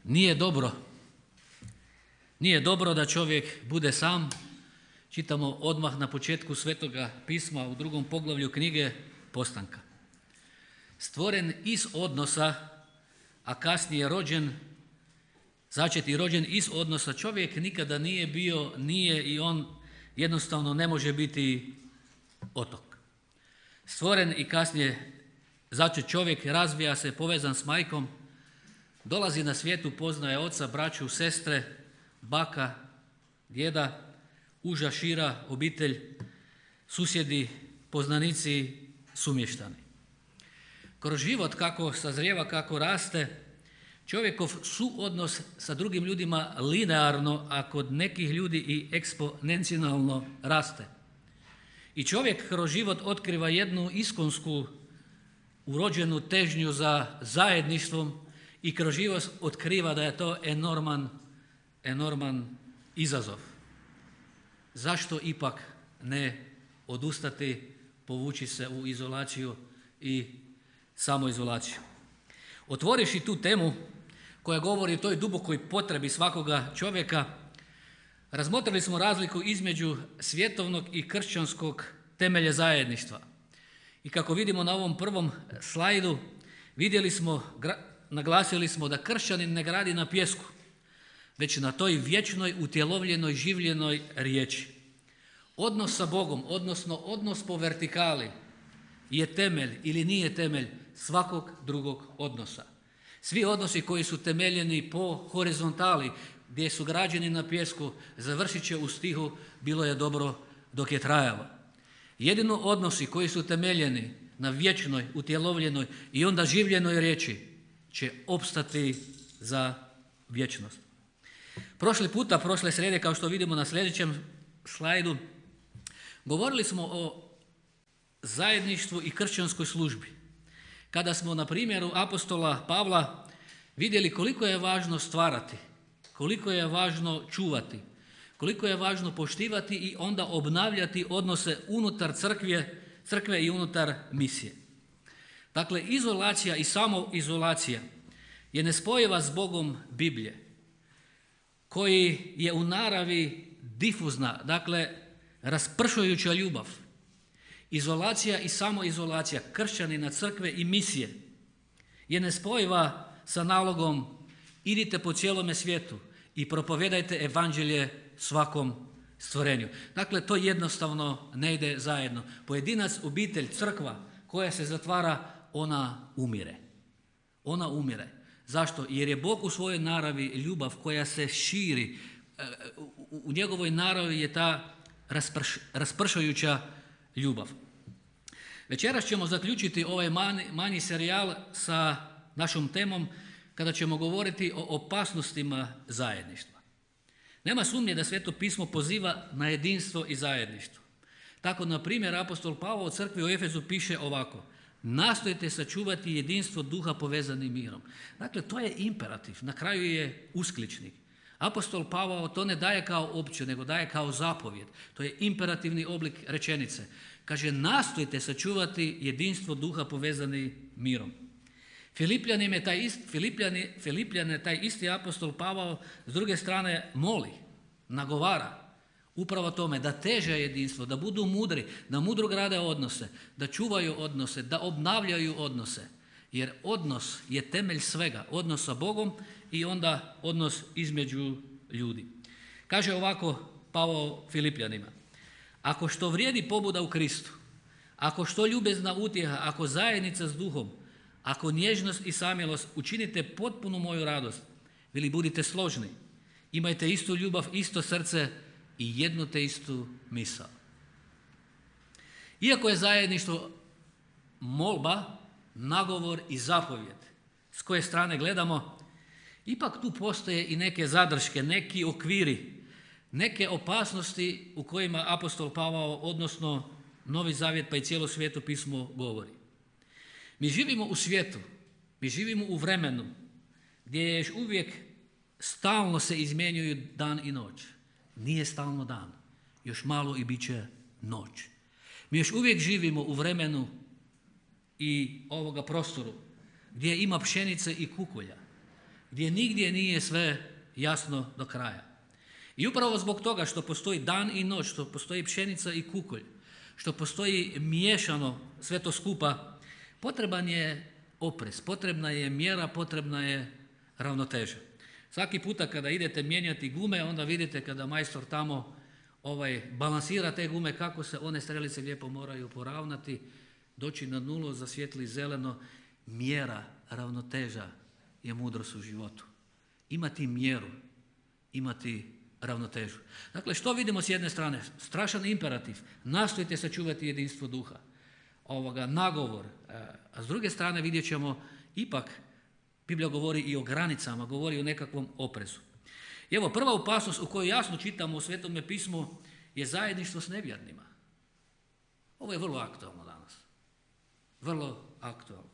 Nije dobro. Nije dobro da čovjek bude sam. Čitamo odmah na početku Svetoga pisma u 2. poglavlju knjige Postanka. Stvoren iz odnosa, a kasnije rođen, začet i rođen iz odnosa, čovjek nikada nije bio, nije i on jednostavno ne može biti otok. Stvoren i kasnije začet čovjek, razvija se, povezan s majkom, dolazi na svijetu, poznaje oca, braću, sestre, baka, djeda, uža, šira obitelj, susjedi, poznanici, sumještani. Kroz život kako sazrijeva, kako raste, čovjekov suodnos sa drugim ljudima linearno, a kod nekih ljudi i eksponencijalno raste. I čovjek kroz život otkriva jednu iskonsku urođenu težnju za zajedništvom i kroz život otkriva da je to enorman izazov. Zašto ipak ne odustati, povući se u izolaciju i samoizolaciju? Otvoriš i tu temu koja govori o toj dubokoj potrebi svakoga čovjeka, razmotrili smo razliku između svjetovnog i kršćanskog temelja zajedništva. I kako vidimo na ovom prvom slajdu, naglasili smo da kršćanin ne gradi na pijesku, već na toj vječnoj, utjelovljenoj, življenoj riječi. Odnos sa Bogom, odnosno odnos po vertikali, je temelj ili nije temelj svakog drugog odnosa. Svi odnosi koji su temeljeni po horizontali, gdje su građeni na pijesku, završit će u stihu bilo je dobro dok je trajalo. Jedino odnosi koji su temeljeni na vječnoj, utjelovljenoj i onda življenoj riječi će opstati za vječnost. Prošle srijede, kao što vidimo na sljedećem slajdu, govorili smo o zajedništvu i kršćanskoj službi. Kada smo na primjeru apostola Pavla vidjeli koliko je važno stvarati, koliko je važno čuvati, koliko je važno poštivati i onda obnavljati odnose unutar crkve i unutar misije. Dakle, izolacija i samoizolacija je nespojiva s Bogom Biblije, koji je u naravi difuzna, dakle raspršujuća ljubav. Izolacija i samoizolacija kršćanina, crkve i misije je nespojiva sa nalogom idite po cijelome svijetu i propovijedajte evanđelje svakom stvorenju. Dakle, to jednostavno ne ide zajedno. Pojedinac, obitelj, crkva koja se zatvara, ona umire. Ona umire. Zašto? Jer je Bog u svojoj naravi ljubav koja se širi. U njegovoj naravi je ta raspršujuća ljubav. Večeras ćemo zaključiti ovaj manji serijal sa našom temom kada ćemo govoriti o opasnostima zajedništva. Nema sumnje da Sveto pismo poziva na jedinstvo i zajedništvo. Tako, na primjer, apostol Pavao u crkvi u Efezu piše ovako: nastojte sačuvati jedinstvo duha povezanim mirom. Dakle, to je imperativ, na kraju je uskličnik. Apostol Pavao to ne daje kao opće, nego daje kao zapovjed. To je imperativni oblik rečenice. Kaže, nastojte sačuvati jedinstvo duha povezani mirom. Filipljane taj isti apostol Pavao s druge strane moli, nagovara upravo tome da teže jedinstvo, da budu mudri, da mudro grade odnose, da čuvaju odnose, da obnavljaju odnose. Jer odnos je temelj svega, odnos sa Bogom i onda odnos između ljudi. Kaže ovako Pavao Filipljanima: ako što vrijedi pobuda u Kristu, ako što ljubezna utjeha, ako zajednica s duhom, ako nježnost i samilost, učinite potpunu moju radost. Veli, budite složni, imajte istu ljubav, isto srce i jednu te istu misao. Iako je zajedništvo molba, nagovor i zapovjed, s koje strane gledamo, ipak tu postoje i neke zadrške, neki okviri, neke opasnosti u kojima apostol Pavao, odnosno Novi Zavjet pa i cijelo Sveto pismo govori. Mi živimo u svijetu, mi živimo u vremenu gdje je još uvijek stalno se izmjenjuju dan i noć. Nije stalno dan, još malo i bit će noć. Mi još uvijek živimo u vremenu i ovoga prostoru gdje ima pšenice i kukolja, gdje nigdje nije sve jasno do kraja. I upravo zbog toga što postoji dan i noć, što postoji pšenica i kukolj, što postoji miješano sve to skupa, potreban je oprez, potrebna je mjera, potrebna je ravnoteža. Svaki puta kada idete mijenjati gume, onda vidite kada majstor tamo balansira te gume, kako se one strelice lijepo moraju poravnati, doći na nulu, zasvijetli zeleno. Mjera, ravnoteža je mudrost u životu. Imati mjeru, imati ravnotežu. Dakle, što vidimo s jedne strane? Strašan imperativ, nastojite sačuvati jedinstvo duha, nagovor, a s druge strane vidjet ćemo ipak, Biblija govori i o granicama, govori o nekakvom oprezu. I evo, prva opasnost u kojoj jasno čitamo u Svetome pismu je zajedništvo s nevjernima. Ovo je vrlo aktualno danas. Vrlo aktualno.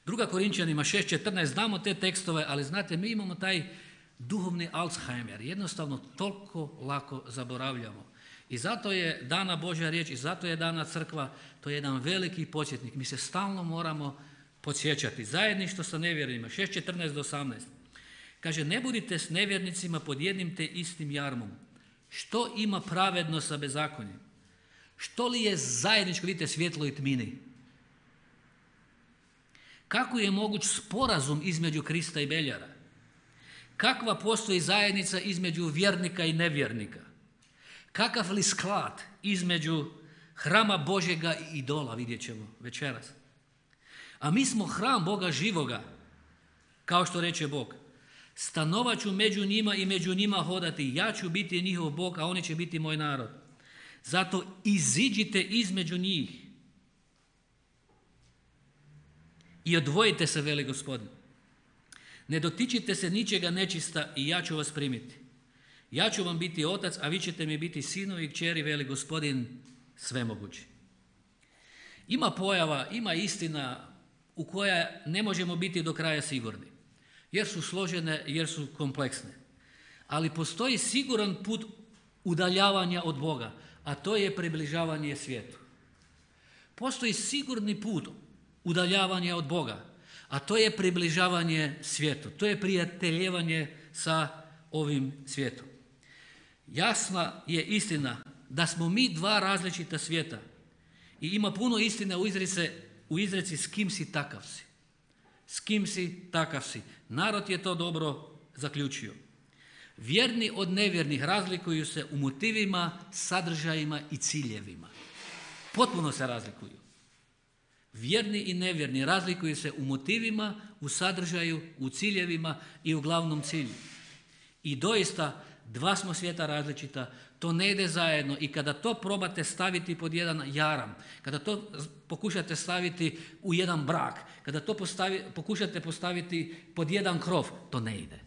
2. Korinčanima 6.14, znamo te tekstove, ali znate, mi imamo taj duhovni Alzheimer. Jednostavno toliko lako zaboravljamo. I zato je dana Božja riječ, i zato je dana crkva, to je jedan veliki podsjetnik. Mi se stalno moramo podsjećati. Zajedništvo sa nevjernima, 6.14 do 18. Kaže, ne budite s nevjernicima pod jednim te istim jarmom. Što ima pravedno sa bezakonjem? Što li je zajedničko, vidite, svjetlo i tmini? Kako je moguć sporazum između Krista i Beljara? Kakva postoji zajednica između vjernika i nevjernika? Kakav li sklad između hrama Božjega i idola, vidjet ćemo večeras. A mi smo hram Boga živoga, kao što reče Bog. Stanovat ću među njima i među njima hodati, ja ću biti njihov Bog, a oni će biti moj narod. Zato iziđite između njih i odvojite se, veli Gospodin. Ne dotičite se ničega nečista i ja ću vas primiti. Ja ću vam biti otac, a vi ćete mi biti sinovi i kćeri, veli Gospodin svemogući. Ima pojava, ima istina u koja ne možemo biti do kraja sigurni, jer su složene, jer su kompleksne. Ali postoji siguran put udaljavanja od Boga, a to je približavanje svijetu. Postoji sigurni put udaljavanja od Boga, a to je približavanje svijetu. To je prijateljevanje sa ovim svijetom. Jasna je istina da smo mi dva različita svijeta i ima puno istine u izreci s kim si takav si. S kim si takav si. Narod je to dobro zaključio. Vjerni od nevjernih razlikuju se u motivima, sadržajima i ciljevima. Potpuno se razlikuju. Vjerni i nevjerni razlikuju se u motivima, u sadržaju, u ciljevima i u glavnom cilju. I doista, dva smo svijeta različita, to ne ide zajedno i kada to probate staviti pod jedan jaram, kada to pokušate staviti u jedan brak, kada to pokušate postaviti pod jedan krov, to ne ide.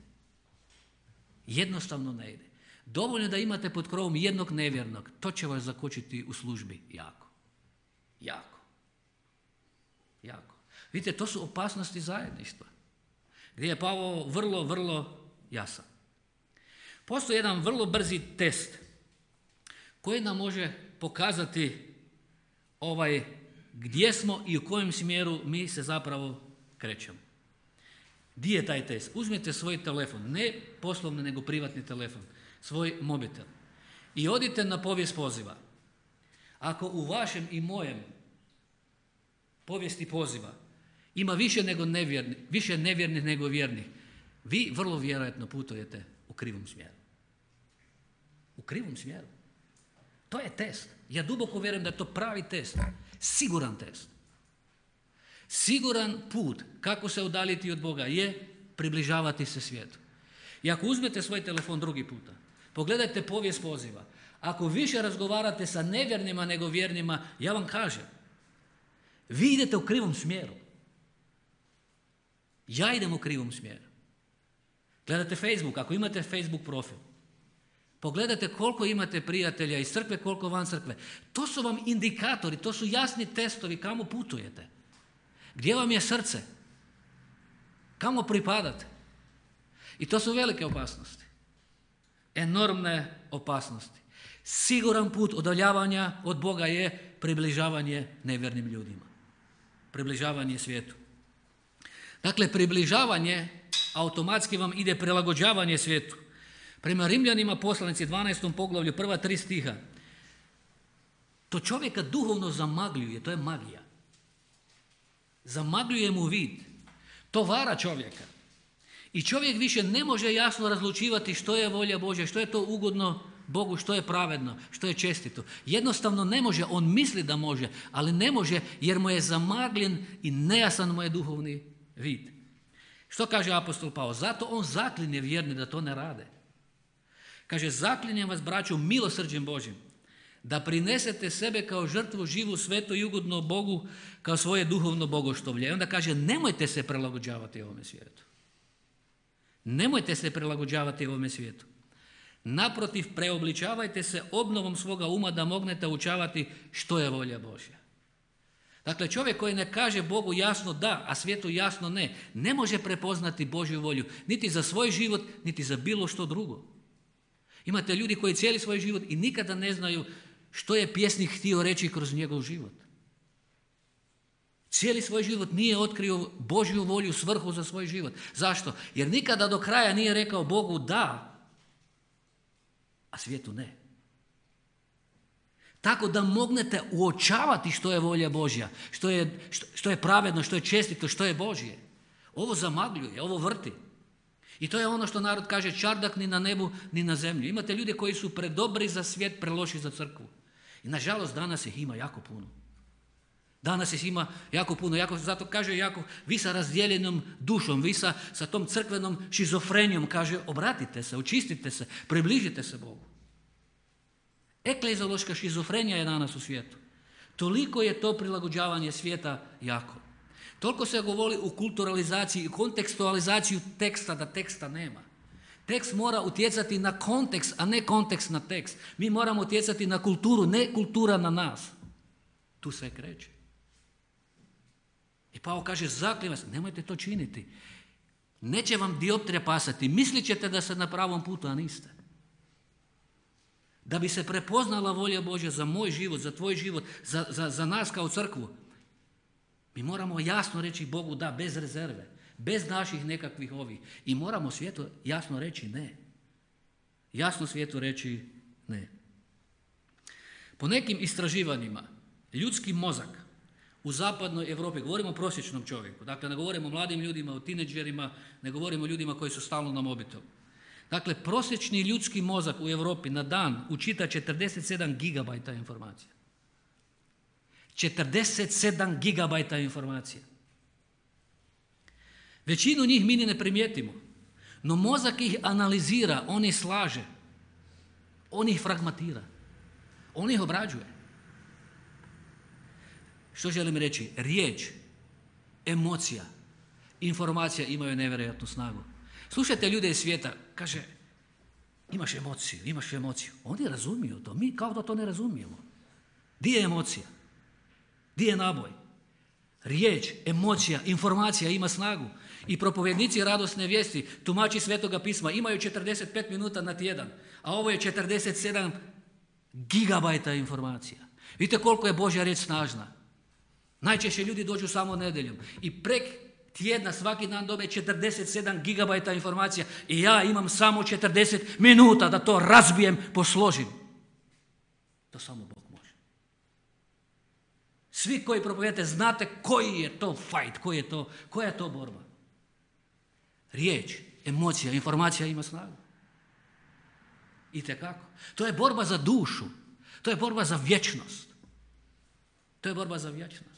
Jednostavno ne ide. Dovoljno da imate pod krovom jednog nevjernog, to će vas zakočiti u službi jako. Jako. Jako. Vidite, to su opasnosti zajedništva, gdje je Pavao vrlo, vrlo jasan. Postoji jedan vrlo brzi test koji nam može pokazati gdje smo i u kojem smjeru mi se zapravo krećemo. Gdje je taj test? Uzmite svoj telefon, ne poslovni nego privatni telefon, svoj mobitel i odite na povijest poziva. Ako u vašem i mojem povijesti poziva ima više nevjernih nego vjernih, vi vrlo vjerojatno putujete u krivom smjeru. U krivom smjeru. To je test. Ja duboko vjerujem da je to pravi test. Siguran test. Siguran put kako se udaljiti od Boga je približavati se svijetu. I ako uzmete svoj telefon drugi puta, pogledajte povijest poziva. Ako više razgovarate sa nevjernima nego vjernima, ja vam kažem, vi idete u krivom smjeru. Ja idem u krivom smjeru. Gledate Facebook, ako imate Facebook profil, pogledajte koliko imate prijatelja iz crkve, koliko van crkve. To su vam indikatori, to su jasni testovi kamo putujete. Gdje vam je srce? Kamo pripadate? I to su velike opasnosti. Enormne opasnosti. Siguran put udaljavanja od Boga je približavanje nevjernim ljudima. Približavanje svijetu. Dakle, približavanje automatski vam ide prilagođavanje svijetu. Prema Rimljanima poslanici 12. poglavlju, prva 3 stiha, to čovjeka duhovno zamagljuje, to je magija. Zamagljuje mu vid, to vara čovjeka. I čovjek više ne može jasno razlučivati što je volja Božja, što je to ugodno Bogu, što je pravedno, što je čestito. Jednostavno ne može, on misli da može, ali ne može jer mu je zamagljen i nejasan mu je duhovni vid. Što kaže apostol Pavao? Zato on zaklinje vjerne da to ne rade. Kaže, zaklinjem vas, braćo, milosrđem Božjim, da prinesete sebe kao žrtvu živu, svetu i ugodno Bogu, kao svoje duhovno bogoštovlje. I onda kaže, nemojte se prilagođavati ovome svijetu. Nemojte se prilagođavati ovome svijetu. Naprotiv, preobličavajte se obnovom svoga uma da mognete učavati što je volja Božja. Dakle, čovjek koji ne kaže Bogu jasno da, a svijetu jasno ne, ne može prepoznati Božju volju, niti za svoj život, niti za bilo što drugo. Imate ljudi koji cijeli svoj život i nikada ne znaju što je pjesnik htio reći kroz njegov život. Cijeli svoj život nije otkrio Božju volju, svrhu za svoj život. Zašto? Jer nikada do kraja nije rekao Bogu da, a svijetu ne. Tako da mognete uočavati što je volja Božja, što je pravedno, što je čestito, što je Božje. Ovo zamagljuje, ovo vrti. I to je ono što narod kaže, čardak ni na nebu, ni na zemlji. Imate ljude koji su predobri za svijet, preloši za crkvu. I nažalost danas ih ima jako puno. Danas ih ima jako puno. Zato kaže Jakov, vi sa razdijeljenom dušom, vi sa tom crkvenom šizofrenijom, kaže, obratite se, očistite se, približite se Bogu. Ekleziološka šizofrenija je danas u svijetu. Toliko je to prilagođavanje svijeta jako. Toliko se govori u kulturalizaciji i kontekstualizaciju teksta, da teksta nema. Tekst mora utjecati na kontekst, a ne kontekst na tekst. Mi moramo utjecati na kulturu, ne kultura na nas. Tu sve kreće. I Pavao kaže, zaklinjem vas, nemojte to činiti. Neće vam dioptrija pasati, mislit ćete da ste na pravom putu, a niste. Da bi se prepoznala volja Božja za moj život, za tvoj život, za nas kao crkvu, mi moramo jasno reći Bogu da, bez rezerve, bez naših nekakvih ovih. I moramo svijetu jasno reći ne. Jasno svijetu reći ne. Po nekim istraživanjima, ljudski mozak u zapadnoj Europi, govorimo o prosječnom čovjeku, dakle ne govorimo o mladim ljudima, o tineđerima, ne govorimo o ljudima koji su stalno na mobitelu. Dakle, prosječni ljudski mozak u Europi na dan učita 47 gigabajta informacija. 47 gigabajta informacija. Većinu njih mi ni ne primijetimo, no mozak ih analizira, on ih slaže, on ih fragmentira, on ih obrađuje. Što želim reći? Riječ, emocija, informacija imaju nevjerojatnu snagu. Slušajte ljude iz svijeta, kaže, imaš emociju. Oni razumiju to, mi kao da to ne razumijemo. Di je emocija? Di je naboj? Riječ, emocija, informacija ima snagu. I propovjednici radosne vijesti, tumači Svetoga pisma, imaju 45 minuta na tjedan, a ovo je 47 gigabajta informacija. Vidite koliko je Božja riječ snažna. Najčešće ljudi dođu samo nedjeljom i prek tjedna svaki dan dobe 47 gigabajta informacija i ja imam samo 40 minuta da to razbijem, posložim. To samo Bog može. Svi koji propovijedate znate koji je to fight, koja je to borba. Riječ, emocija, informacija ima snagu. Itekako. To je borba za dušu. To je borba za vječnost. To je borba za vječnost.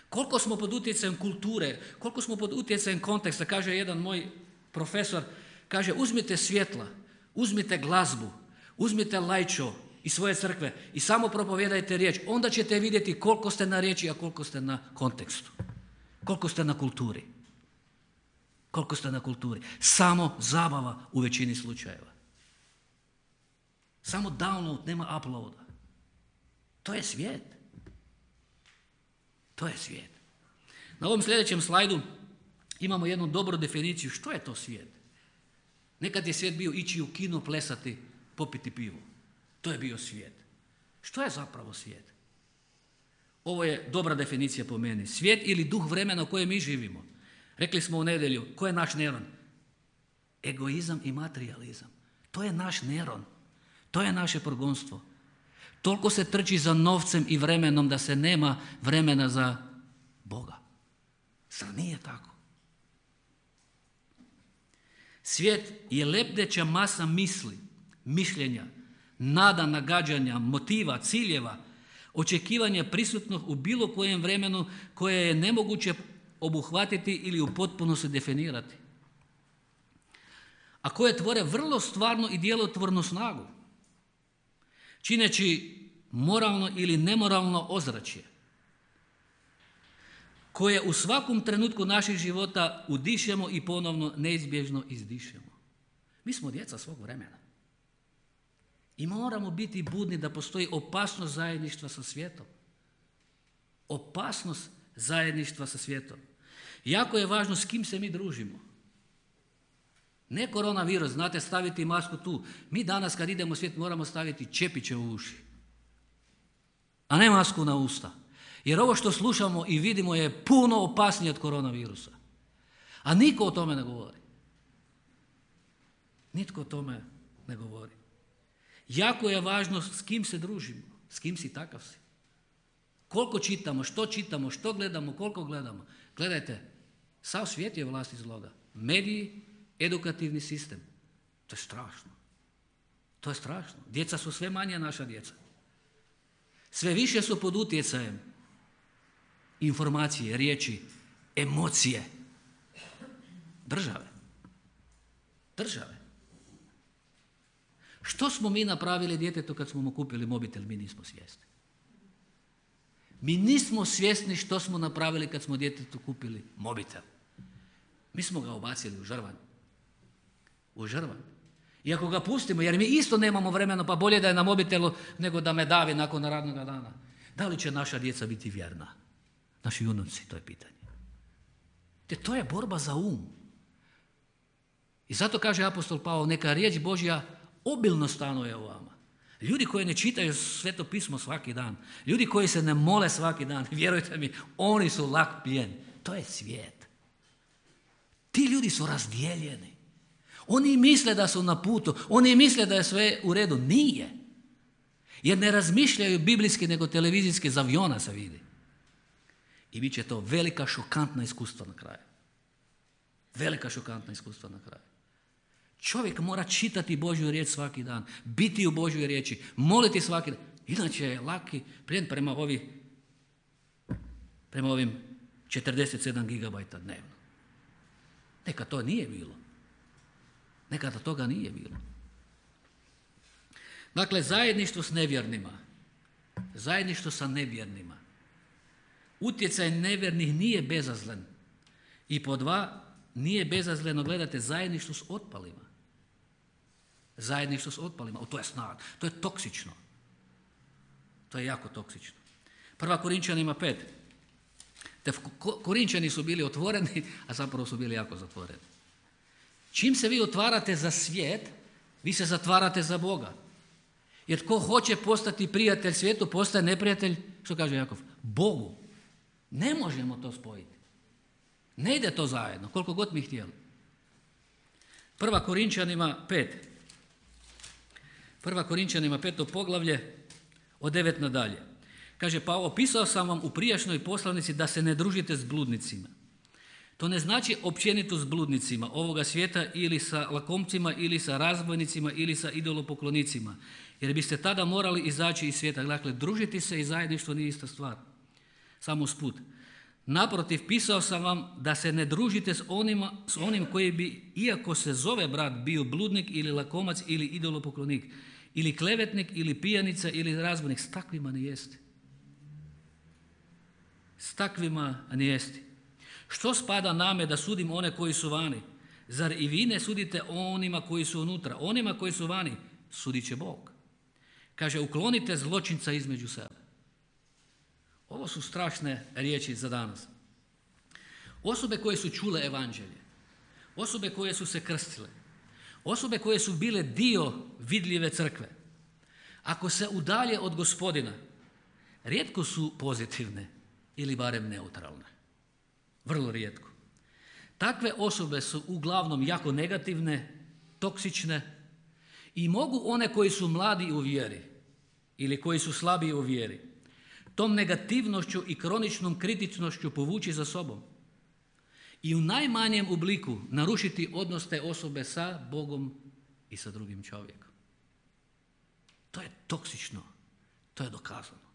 Koliko smo pod utjecajem kulture, koliko smo pod utjecajem konteksta, kaže jedan moj profesor, kaže uzmite svjetla, uzmite glazbu, uzmite lajčo iz svoje crkve i samo propovijedajte riječ, onda ćete vidjeti koliko ste na riječi, a koliko ste na kontekstu, koliko ste na kulturi. Koliko ste na kulturi. Samo zabava u većini slučajeva. Samo download, nema uploada. To je svijet. To je svijet. Na ovom sljedećem slajdu imamo jednu dobru definiciju što je to svijet. Nekad je svijet bio ići u kino, plesati, popiti pivo. To je bio svijet. Što je zapravo svijet? Ovo je dobra definicija po meni. Svijet ili duh vremena u kojem mi živimo. Rekli smo u nedjelju, ko je naš Neron? Egoizam i materijalizam. To je naš Neron. To je naše progonstvo. Toliko se trči za novcem i vremenom da se nema vremena za Boga. Zar nije tako? Svijet je lebdeća masa misli, mišljenja, nada, nagađanja, motiva, ciljeva, očekivanja prisutnog u bilo kojem vremenu koje je nemoguće obuhvatiti ili u potpunosti definirati. A koje tvore vrlo stvarnu i djelotvornu snagu, čineći moralno ili nemoralno ozračje, koje u svakom trenutku naših života udišemo i ponovno neizbježno izdišemo. Mi smo djeca svog vremena. I moramo biti budni da postoji opasnost zajedništva sa svijetom. Opasnost zajedništva sa svijetom. Jako je važno s kim se mi družimo. Ne koronavirus, znate, staviti masku tu. Mi danas kad idemo u svijet moramo staviti čepiće u uši, a ne masku na usta. Jer ovo što slušamo i vidimo je puno opasnije od koronavirusa. A niko o tome ne govori. Nitko o tome ne govori. Jako je važno s kim se družimo, s kim si takav si. Koliko čitamo, što gledamo, koliko gledamo. Gledajte, sav svijet je vlast iz zloga. Mediji, edukativni sistem. To je strašno. To je strašno. Djeca su sve manje naša djeca. Sve više su pod utjecajem informacije, riječi, emocije. Države. Što smo mi napravili djetetu kad smo mu kupili mobitel? Mi nismo svjesni. Mi nismo svjesni što smo napravili kad smo djetetu kupili mobitel. Mi smo ga ubacili u žrvanj. I ako ga pustimo, jer mi isto nemamo vremena, pa bolje da je na mobitelu nego da me davi nakon radnog dana. Da li će naša djeca biti vjerna? Naši unuci, to je pitanje. Te to je borba za um. I zato kaže apostol Pavao, neka riječ Božja obilno stanuje u vama. Ljudi koji ne čitaju Sveto pismo svaki dan, ljudi koji se ne mole svaki dan, vjerujte mi, oni su lak plijen. To je svijet. Ti ljudi su razdijeljeni. Oni misle da su na putu, oni misle da je sve u redu. Nije. Jer ne razmišljaju biblijski nego televizijski, iz aviona se vidi. I bit će to velika šokantna iskustva na kraju. Velika šokantna iskustva na kraju. Čovjek mora čitati Božju riječ svaki dan, biti u Božjoj riječi, moliti svaki dan. Inače je laki plijen prema ovim 47 gigabajta dnevno. Nekad to nije bilo. Nekada toga nije bilo. Dakle, zajedništvo s nevjernima. Zajedništvo sa nevjernima. Utjecaj nevjernih nije bezazlen. I po dva, nije bezazleno, gledate, zajedništvo s otpalima. Zajedništvo s otpalima. To je snaga. To je toksično. To je jako toksično. 1. Korinčanima 5. Te Korinčani su bili otvoreni, a zapravo su bili jako zatvoreni. Čim se vi otvarate za svijet, vi se zatvarate za Boga. Jer tko hoće postati prijatelj svijetu, postaje neprijatelj, što kaže Jakov, Bogu. Ne možemo to spojiti. Ne ide to zajedno, koliko god mi htjeli. 1. Korinčanima 5. 1. Korinčanima 5. poglavlje od 9 nadalje. Kaže, pa opisao sam vam u prijašnjoj poslanici da se ne družite s bludnicima. To ne znači općenito s bludnicima ovoga svijeta ili sa lakomcima ili sa razbojnicima ili sa idolopoklonicima. Jer biste tada morali izaći iz svijeta. Dakle, družiti se i zajedništvo nije ista stvar. Samo usput. Naprotiv, pisao sam vam da se ne družite s onim koji bi, iako se zove brat, bio bludnik ili lakomac ili idolopoklonik, ili klevetnik ili pijanica ili razbojnik. S takvima ne jeste. S takvima ne jeste. Što spada name da sudim one koji su vani? Zar i vi ne sudite onima koji su unutra? Onima koji su vani sudit će Bog. Kaže, uklonite zločinca između sebe. Ovo su strašne riječi za danas. Osobe koje su čule evanđelje, osobe koje su se krstile, osobe koje su bile dio vidljive crkve, ako se udalje od Gospodina, rijetko su pozitivne ili barem neutralne. Vrlo rijetko. Takve osobe su uglavnom jako negativne, toksične i mogu one koji su mladi u vjeri ili koji su slabiji u vjeri tom negativnošću i kroničnom kritičnošću povući za sobom i u najmanjem obliku narušiti odnos te osobe sa Bogom i sa drugim čovjekom. To je toksično, to je dokazano.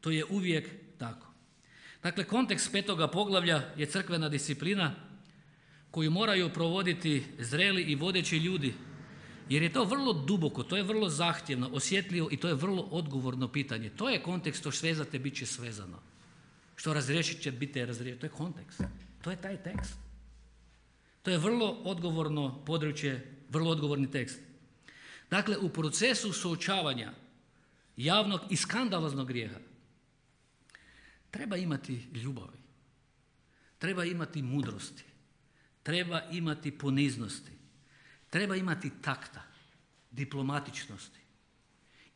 To je uvijek tako. Dakle, kontekst 5. poglavlja je crkvena disciplina koju moraju provoditi zreli i vodeći ljudi, jer je to vrlo duboko, to je vrlo zahtjevno, osjetljivo i to je vrlo odgovorno pitanje. To je kontekst, što svezate, bit će svezano. Što razriješit će, biti razriješeno. To je kontekst. To je taj tekst. To je vrlo odgovorno područje, vrlo odgovorni tekst. Dakle, u procesu suočavanja javnog i skandaloznog grijeha treba imati ljubavi, treba imati mudrosti, treba imati poniznosti, treba imati takta, diplomatičnosti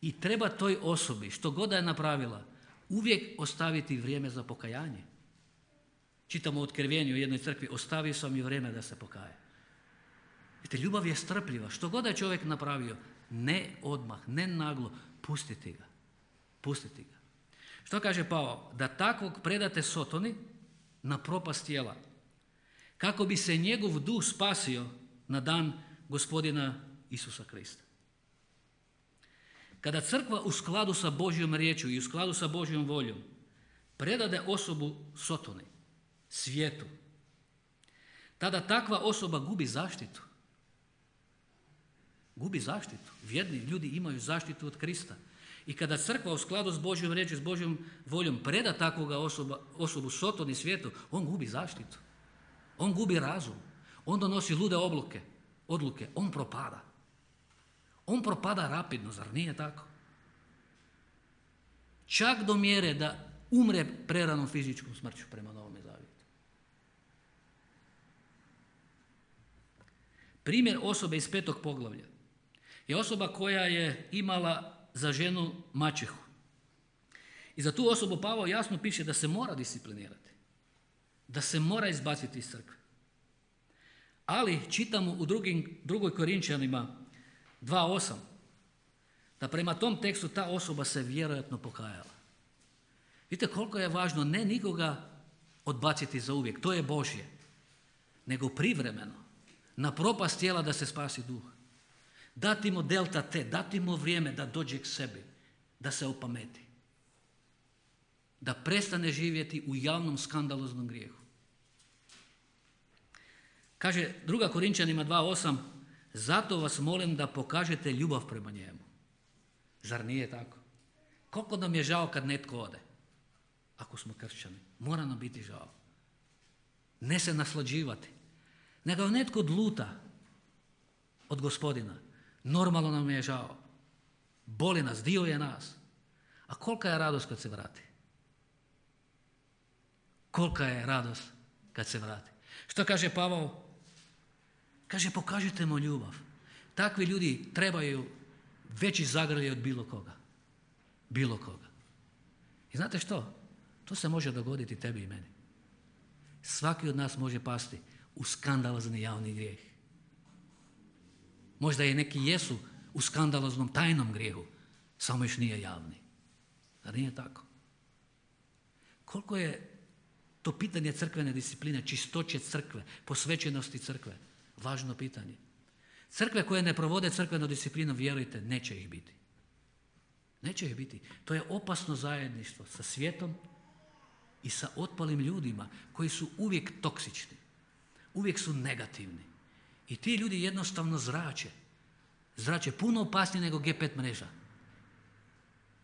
i treba toj osobi, što god da je napravila, uvijek ostaviti vrijeme za pokajanje. Čitamo u Otkrivenju u jednoj crkvi, ostavio sam i vrijeme da se pokaje. Vidite, ljubav je strpljiva, što god da je čovjek napravio, ne odmah, ne naglo, pustiti ga, pustiti ga. Što kaže Pavao? Da takvog predate Sotoni na propast tijela, kako bi se njegov duh spasio na dan Gospodina Isusa Krista. Kada crkva u skladu sa Božjom riječju i u skladu sa Božjom voljom predade osobu Sotoni, svijetu, tada takva osoba gubi zaštitu. Gubi zaštitu. Vjerni ljudi imaju zaštitu od Krista. I kada crkva u skladu s Božjom riječju, s Božjom voljom preda takvoga osobu Sotoni svijetu, on gubi zaštitu. On gubi razum. On donosi lude odluke. On propada. On propada rapidno, zar nije tako? Čak do mjere da umre preranom fizičkom smrću prema Novome Zavjetu. Primjer osobe iz 5. poglavlja je osoba koja je imala za ženu maćehu. I za tu osobu Pavao jasno piše da se mora disciplinirati, da se mora izbaciti iz crkve. Ali čitamo u 2. Korinčanima 2.8 da prema tom tekstu ta osoba se vjerojatno pokajala. Vidite koliko je važno ne nikoga odbaciti za uvijek, to je Božje, nego privremeno, na propast tijela da se spasi duh. Dati mu delta T, dati mu vrijeme da dođe k sebi, da se opameti. Da prestane živjeti u javnom skandaloznom grijehu. Kaže 2. Korinčanima 2.8, zato vas molim da pokažete ljubav prema njemu. Zar nije tako? Koliko nam je žao kad netko ode, ako smo kršćani. Mora nam biti žao. Ne se naslađivati. Nego netko odluta od Gospodina. Normalno nam je žao. Boli nas, dio je nas. A kolika je radost kad se vrati? Kolika je radost kad se vrati? Što kaže Pavao? Kaže, pokažite mu ljubav. Takvi ljudi trebaju veći zagrljaj od bilo koga. Bilo koga. I znate što? To se može dogoditi tebi i meni. Svaki od nas može pasti u skandalozni javni grijeh. Možda i neki jesu u skandaloznom tajnom grijehu, samo još nije javni. Da nije tako? Koliko je to pitanje crkvene discipline, čistoće crkve, posvećenosti crkve, važno pitanje. Crkve koje ne provode crkvenu disciplinu, vjerujte, neće ih biti. Neće ih biti. To je opasno zajedništvo sa svijetom i sa otpalim ljudima koji su uvijek toksični, uvijek su negativni. I ti ljudi jednostavno zrače. Zrače puno opasnije nego G5 mreža.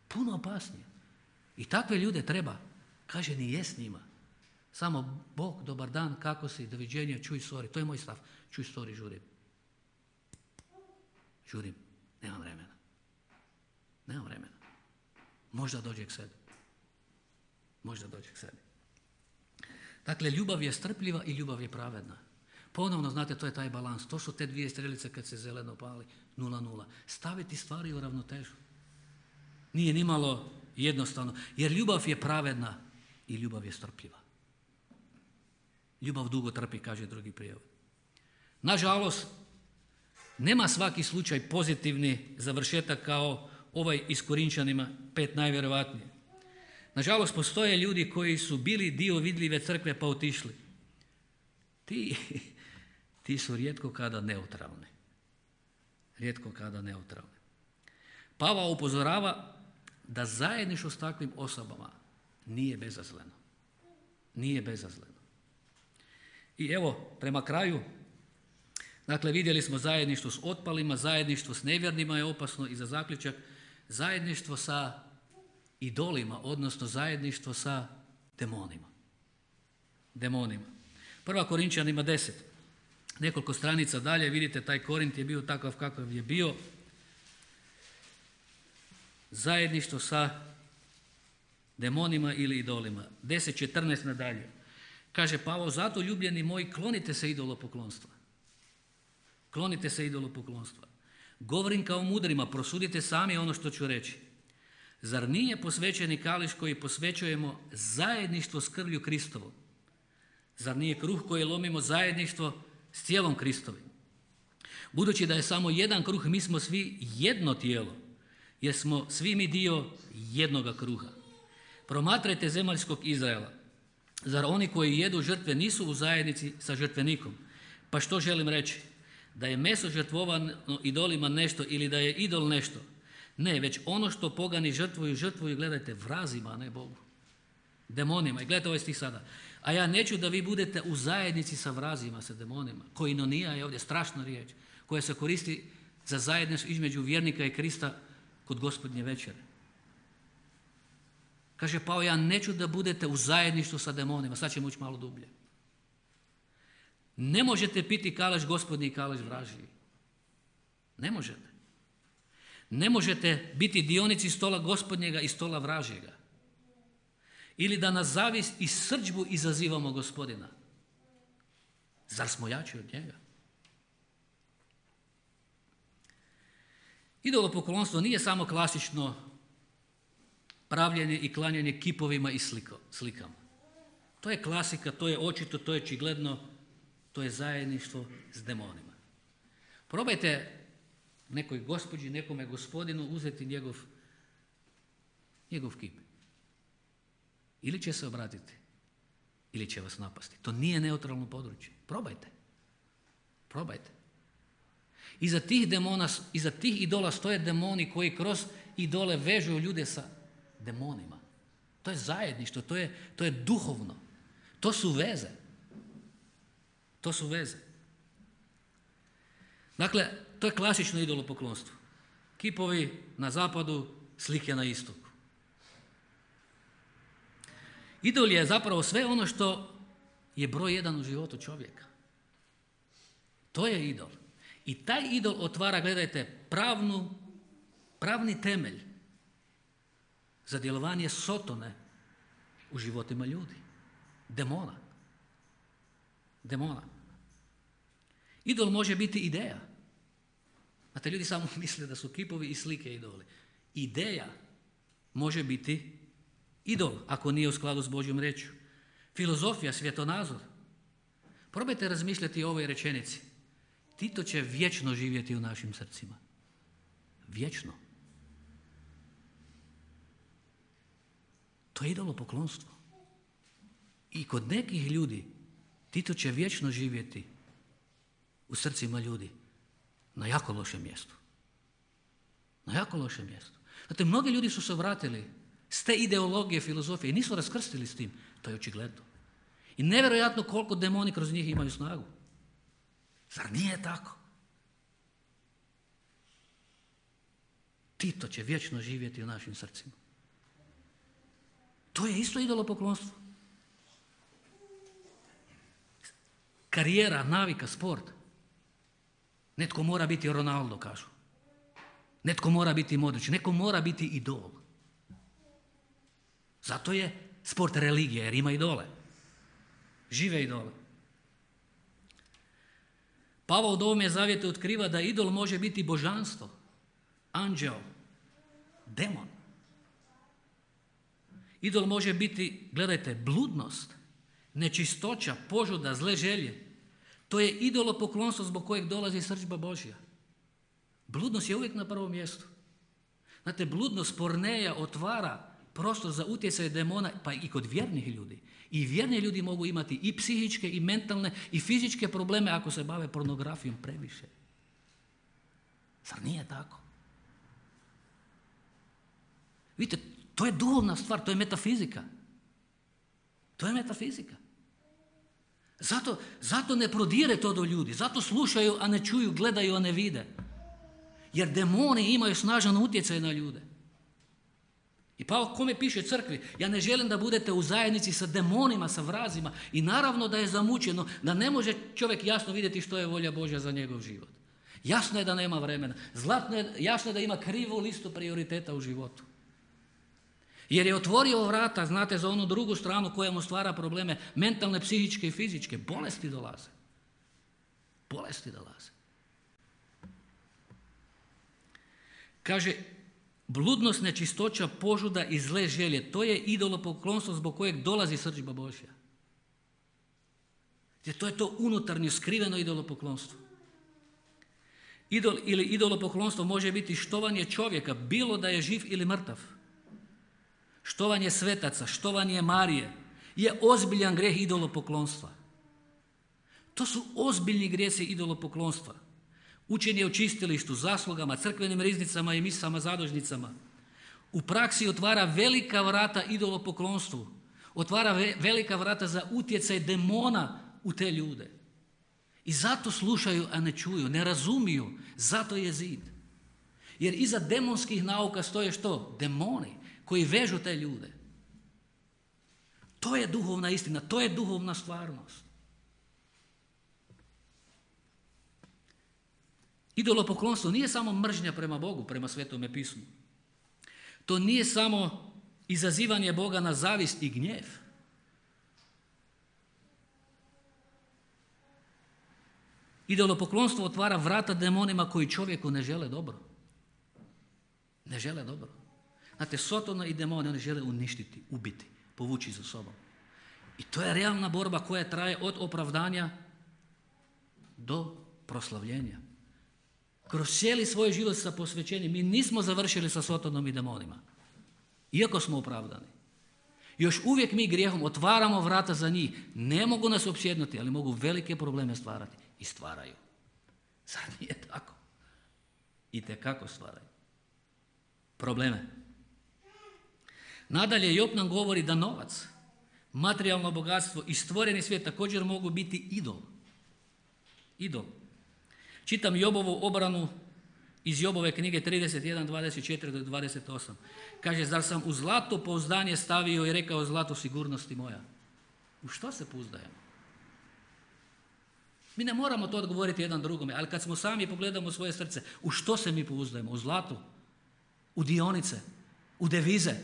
Puno opasnije. I takve ljude treba, kaže, nije s njima. Samo Bog, dobar dan, kako si, doviđenja, čuj, sorry. To je moj stav. Čuj, sorry, žurim. Žurim. Nemam vremena. Nemam vremena. Možda dođe k sebi. Možda dođe k sebi. Dakle, ljubav je strpljiva i ljubav je pravedna. Ponovno, znate, to je taj balans. To su te dvije strelice kad se zeleno pali, 0:0. Staviti stvari u ravnotežu. Nije nimalo jednostavno, jer ljubav je pravedna i ljubav je strpljiva. Ljubav dugo trpi, kaže drugi prijevod. Nažalost, nema svaki slučaj pozitivni završetak kao ovaj iz Korinčanima 5 najvjerojatnije. Nažalost, postoje ljudi koji su bili dio vidljive crkve pa otišli. Ti su rijetko kada neutralni. Rijetko kada neutralni. Pavao upozorava da zajedništvo s takvim osobama nije bezazleno. Nije bezazleno. I evo, prema kraju, dakle, vidjeli smo zajedništvo s otpalima, zajedništvo s nevjernima je opasno i za zaključak, zajedništvo sa idolima, odnosno zajedništvo sa demonima. Demonima. 1. Korinčanima 10. Nekoliko stranica dalje, vidite, taj Korint je bio takav kakav je bio. Zajedništvo sa demonima ili idolima. 10.14 nadalje. Kaže Pavao, zato ljubljeni moji, klonite se idolopoklonstva. Klonite se idolopoklonstva. Govorim kao mudrima, prosudite sami ono što ću reći. Zar nije posvećeni kališ koji posvećujemo zajedništvo s krvlju Kristovom? Zar nije kruh koji lomimo zajedništvo s tijelom Kristovim? Budući da je samo jedan kruh, mi smo svi jedno tijelo, jer smo svi mi dio jednoga kruha. Promatrajte zemaljskog Izraela. Zar oni koji jedu žrtve nisu u zajednici sa žrtvenikom? Pa što želim reći? Da je meso žrtvovano idolima nešto ili da je idol nešto? Ne, već ono što pogani žrtvuju, gledajte, vrazima, a ne Bogu. Demonima. I gledajte ovaj stih sada. A ja neću da vi budete u zajednici sa vrazima, sa demonima. Koinonija je ovdje strašna riječ koja se koristi za zajedništvo između vjernika i Krista kod Gospodnje večere. Kaže Pavao, ja neću da budete u zajedništvu sa demonima. Sad ćemo ući malo dublje. Ne možete piti kalaš Gospodnji i kalaš vražiji. Ne možete. Ne možete biti dionici stola Gospodnjega i stola vražjega. Ili da nas zavist i srdžbu izazivamo Gospodina. Zar smo jači od njega? Idolopoklonstvo nije samo klasično pravljenje i klanjanje kipovima i slikama. To je klasika, to je očito, to je očigledno, to je zajedništvo s demonima. Probajte nekoj gospođi, nekome gospodinu uzeti njegov kip. Ili će se obratiti, ili će vas napasti. To nije neutralno područje. Probajte. Probajte. Iza tih demona, iza tih idola stoje demoni koji kroz idole vežu ljude sa demonima. To je zajedništvo, to je duhovno. To su veze. To su veze. Dakle, to je klasično idolopoklonstvo. Kipovi na zapadu, slike na istoku. Idol je zapravo sve ono što je broj jedan u životu čovjeka. To je idol. I taj idol otvara, gledajte, pravni temelj za djelovanje sotone u životima ljudi. Demona. Idol može biti ideja. Znate, ljudi samo misle da su kipovi i slike idoli. Ideja može biti idol, ako nije u skladu s Božjom riječju. Filozofija, svjetonazor. Probajte razmišljati o ovoj rečenici. Tito će vječno živjeti u našim srcima. Vječno. To je idolopoklonstvo. I kod nekih ljudi Tito će vječno živjeti u srcima ljudi na jako lošem mjestu. Na jako lošem mjestu. Znate, mnogi ljudi su se vratili s te ideologije, filozofije i nisu raskrstili s tim. To je očigledno. I nevjerojatno koliko demoni kroz njih imaju snagu. Zar nije tako? Tito će vječno živjeti u našim srcima. To je isto idolopoklonstvo. Karijera, navika, sport. Netko mora biti Ronaldo, kažu. Netko mora biti Modrić, netko mora biti idol. Zato je sport religija, jer ima idole. Žive idole. Pavao u Novome zavjetu otkriva da idol može biti božanstvo, anđeo, demon. Idol može biti, gledajte, bludnost, nečistoća, požuda, zle želje. To je idolopoklonstvo zbog kojeg dolazi srdžba Božja. Bludnost je uvijek na prvom mjestu. Znate, bludnost porneja otvara prostor za utjecaj demona, pa i kod vjernih ljudi. I vjerni ljudi mogu imati i psihičke, i mentalne, i fizičke probleme ako se bave pornografijom previše. Zar nije tako? Vidite, to je duhovna stvar, to je metafizika. To je metafizika. Zato ne prodire to do ljudi, zato slušaju, a ne čuju, gledaju, a ne vide. Jer demoni imaju snažan utjecaj na ljude. I Pavao kome piše crkvi, ja ne želim da budete u zajednici sa demonima, sa vrazima. I naravno da je zamućeno, da ne može čovjek jasno vidjeti što je volja Božja za njegov život. Jasno je da nema vremena. Jasno je da ima krivu listu prioriteta u životu. Jer je otvorio vrata, znate, za onu drugu stranu koja mu stvara probleme, mentalne, psihičke i fizičke. Bolesti dolaze. Bolesti dolaze. Kaže, bludnost, nečistoća, požuda i zle želje, to je idolopoklonstvo zbog kojeg dolazi srdžba Božja. Jer to je to unutarnje, skriveno idolopoklonstvo. Ili idolopoklonstvo može biti štovanje čovjeka, bilo da je živ ili mrtav. Štovanje svetaca, štovanje Marije je ozbiljan grijeh idolopoklonstva. To su ozbiljni grijesi idolopoklonstva. Učenje o čistilištu, zaslugama, crkvenim riznicama i misama, zadužnicama. U praksi otvara velika vrata idolopoklonstvu. Otvara velika vrata za utjecaj demona u te ljude. I zato slušaju, a ne čuju, ne razumiju. Zato je zid. Jer iza demonskih nauka stoje što? Demoni koji vežu te ljude. To je duhovna istina, to je duhovna stvarnost. Idolopoklonstvo nije samo mržnja prema Bogu, prema Svetome pismu. To nije samo izazivanje Boga na zavist i gnjev. Idolopoklonstvo otvara vrata demonima koji čovjeku ne žele dobro. Ne žele dobro. Znate, Sotona i demoni, oni žele uništiti, ubiti, povući za sobom. I to je realna borba koja traje od opravdanja do proslavljenja. Kroz cijeli svoj život sa posvećenjem mi nismo završili sa Sotonom i demonima. Iako smo opravdani. Još uvijek mi grijehom otvaramo vrata za njih. Ne mogu nas opsjednuti, ali mogu velike probleme stvarati. I stvaraju. Zar nije tako? Itekako stvaraju. Probleme. Nadalje, Job nam govori da novac, materijalno bogatstvo i stvoreni svijet također mogu biti idol. Idol. Čitam Jobovu obranu iz Jobove knjige 31, 24 do 28. Kaže, zar sam u zlato pouzdanje stavio i rekao zlato sigurnosti moja? U što se pouzdajemo? Mi ne moramo to odgovoriti jedan drugome, ali kad smo sami pogledamo svoje srce, u što se mi pouzdajemo? U zlatu? U dionice? U devize?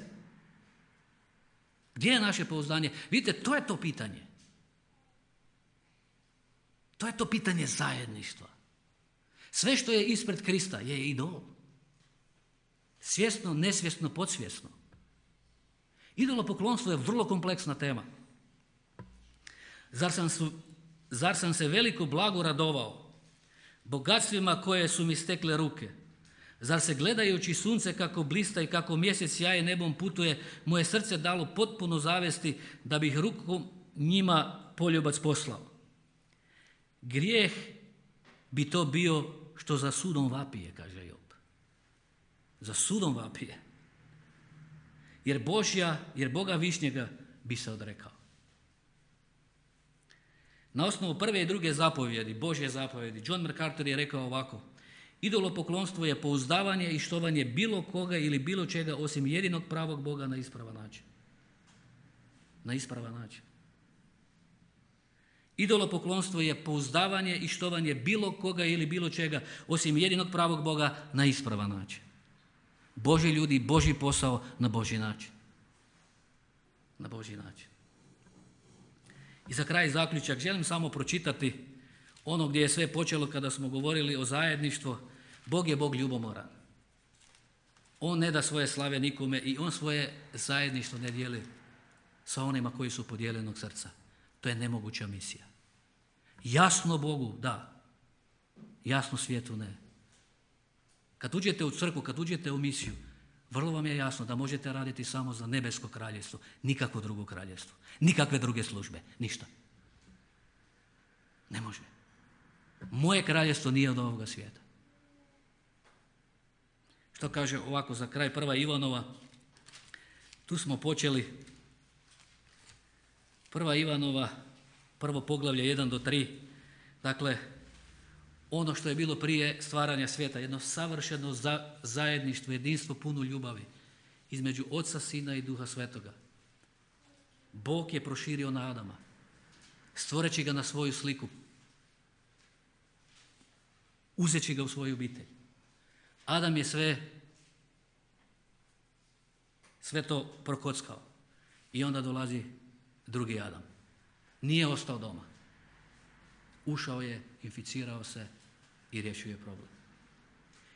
Gdje je naše pouzdanje? Vidite, to je to pitanje. To je to pitanje zajedništva. Sve što je ispred Krista je idol. Svjesno, nesvjesno, podsvjesno. Idolopoklonstvo je vrlo kompleksna tema. Zar sam se veliko blago radovao, bogatstvima koje su mi stekle ruke? Zar se gledajući sunce kako blista i kako mjesec sjaje nebom putuje, moje srce dalo potpuno zavesti da bih rukom njima poljubac poslao? Grijeh bi to bio što za sudom vapije, kaže Job. Za sudom vapije. Jer Boga višnjega bi se odrekao. Na osnovu prve i druge zapovjedi, Božje zapovjedi, John MacArthur je rekao ovako: idolopoklonstvo je pouzdavanje i štovanje bilo koga ili bilo čega osim jedinog pravog Boga na ispravan način. Na ispravan način. Idolopoklonstvo je pouzdavanje i štovanje bilo koga ili bilo čega osim jedinog pravog Boga na ispravan način. Božji ljudi, Božji posao na Božji način. Na Božji način. I za kraj zaključak želim samo pročitati ono gdje je sve počelo kada smo govorili o zajedništvu. Bog je Bog ljubomoran. On ne da svoje slave nikome i on svoje zajedništvo ne dijeli sa onima koji su podijeljenog srca. To je nemoguća misija. Jasno Bogu, da. Jasno svijetu, ne. Kad uđete u crkvu, kad uđete u misiju, vrlo vam je jasno da možete raditi samo za nebesko kraljevstvo, nikakvo drugo kraljevstvo, nikakve druge službe, ništa. Ne može. Moje kraljevstvo nije od ovoga svijeta. Što kaže ovako za kraj 1. Ivanova, tu smo počeli 1. Ivanova, prvo poglavlje 1 do 3, dakle, ono što je bilo prije stvaranja svijeta, jedno savršeno zajedništvo, jedinstvo puno ljubavi između Oca, Sina i Duha Svetoga. Bog je proširio na Adama, stvoreći ga na svoju sliku, uzeći ga u svoju obitelj. Adam je sve to prokockao i onda dolazi drugi Adam. Nije ostao doma. Ušao je, inficirao se i riješio je problem.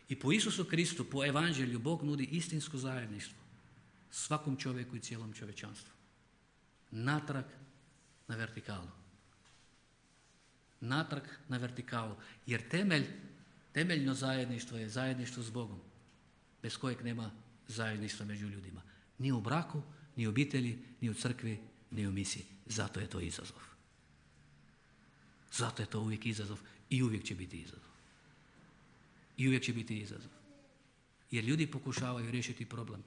I po Isusu Kristu, po evanđelju, Bog nudi istinsko zajedništvo svakom čovjeku i cijelom čovječanstvu. Natrag na vertikalu. Natrag na vertikalu. Jer temeljno zajedništvo je zajedništvo s Bogom, bez kojeg nema zajedništva među ljudima. Ni u braku, ni u obitelji, ni u crkvi, ni u misiji. Zato je to izazov. Zato je to uvijek izazov i uvijek će biti izazov. I uvijek će biti izazov. Jer ljudi pokušavaju riješiti problem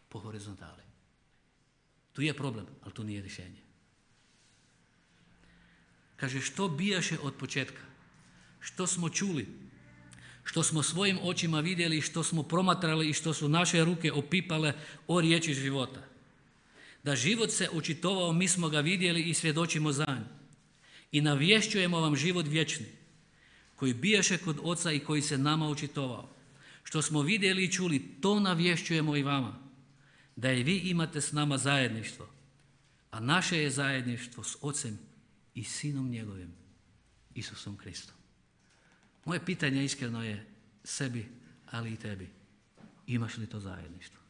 po horizontali. Tu je problem, ali tu nije rješenje. Kaže, što bijaše od početka, što smo čuli, što smo svojim očima vidjeli, što smo promatrali i što su naše ruke opipale o riječi života. Da život se očitovao, mi smo ga vidjeli i svjedočimo za nj. I navješćujemo vam život vječni, koji bijaše kod Oca i koji se nama očitovao. Što smo vidjeli i čuli, to navješćujemo i vama, da i vi imate s nama zajedništvo, a naše je zajedništvo s Ocem i Sinom njegovim, Isusom Kristom. Moje pitanje iskreno je sebi, ali i tebi. Imaš li to zajedništvo?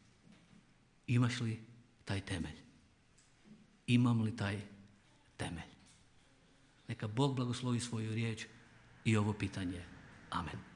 Imaš li taj temelj? Imam li taj temelj? Neka Bog blagoslovi svoju riječ i ovo pitanje. Amen.